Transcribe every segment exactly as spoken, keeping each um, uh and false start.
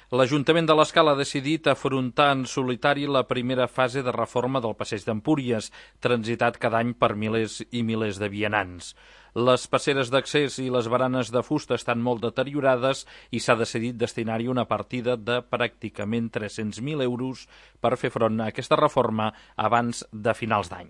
L'Ajuntament de l'Escala ha decidit afrontar en solitari la primera fase de reforma del passeig d'Empúries, transitat cada any per milers i milers de vianants. Les passeres d'accés i les baranes de fusta estan molt deteriorades i s'ha decidit destinar-hi una partida de pràcticament tres-cents mil euros per fer front a aquesta reforma abans de finals d'any.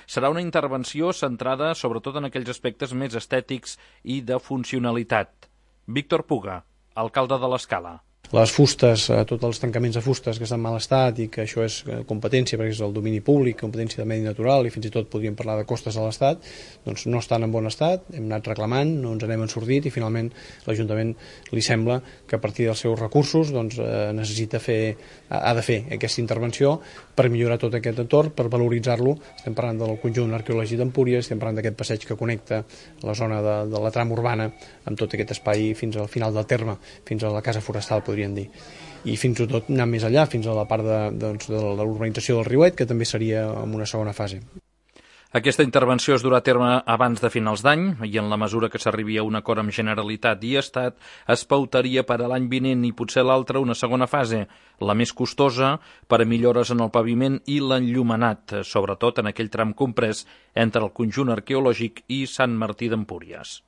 Serà una intervenció centrada sobretot en aquells aspectes més estètics i de funcionalitat. Víctor Puga, alcalde de l'Escala. Les fustes, tots els tancaments de fustes que estan en mal estat i que això és competència perquè és el domini públic, competència de medi natural i fins i tot podríem parlar de costes de l'Estat, doncs no estan en bon estat, hem anat reclamant, no ens n'hem ensordit i finalment l'Ajuntament li sembla que a partir dels seus recursos doncs, eh, necessita fer, ha de fer aquesta intervenció per millorar tot aquest entorn, per valoritzar-lo. Estem parlant del conjunt arqueològic d'Empúries, estem parlant d'aquest passeig que connecta la zona de, de la trama urbana amb tot aquest espai fins al final del terme, fins a la casa forestal, podríem dir. I fins i tot anar més enllà, fins a la part de, doncs, de l'urbanització del Riuet, que també seria en una segona fase. Aquesta intervenció es durà a terme abans de finals d'any i en la mesura que s'arribi a un acord amb Generalitat i Estat es pautaria per a l'any vinent i potser l'altre una segona fase, la més costosa, per a millores en el paviment i l'enllumenat, sobretot en aquell tram comprès entre el conjunt arqueològic i Sant Martí d'Empúries.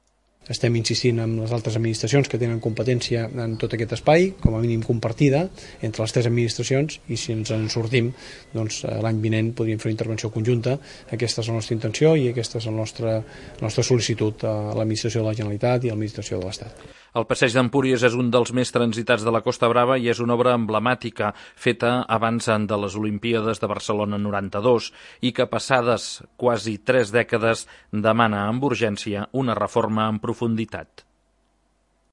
Estem insistint amb les altres administracions que tenen competència en tot aquest espai, com a mínim compartida entre les tres administracions, i si ens en sortim, doncs l'any vinent podríem fer una intervenció conjunta. Aquesta és la nostra intenció i aquesta és la nostra, la nostra sol·licitud a l'administració de la Generalitat i a l'administració de l'Estat. El passeig d'Empúries és un dels més transitats de la Costa Brava i és una obra emblemàtica feta abans de les Olimpíades de Barcelona noranta-dos i que passades quasi tres dècades demana amb urgència una reforma en profunditat.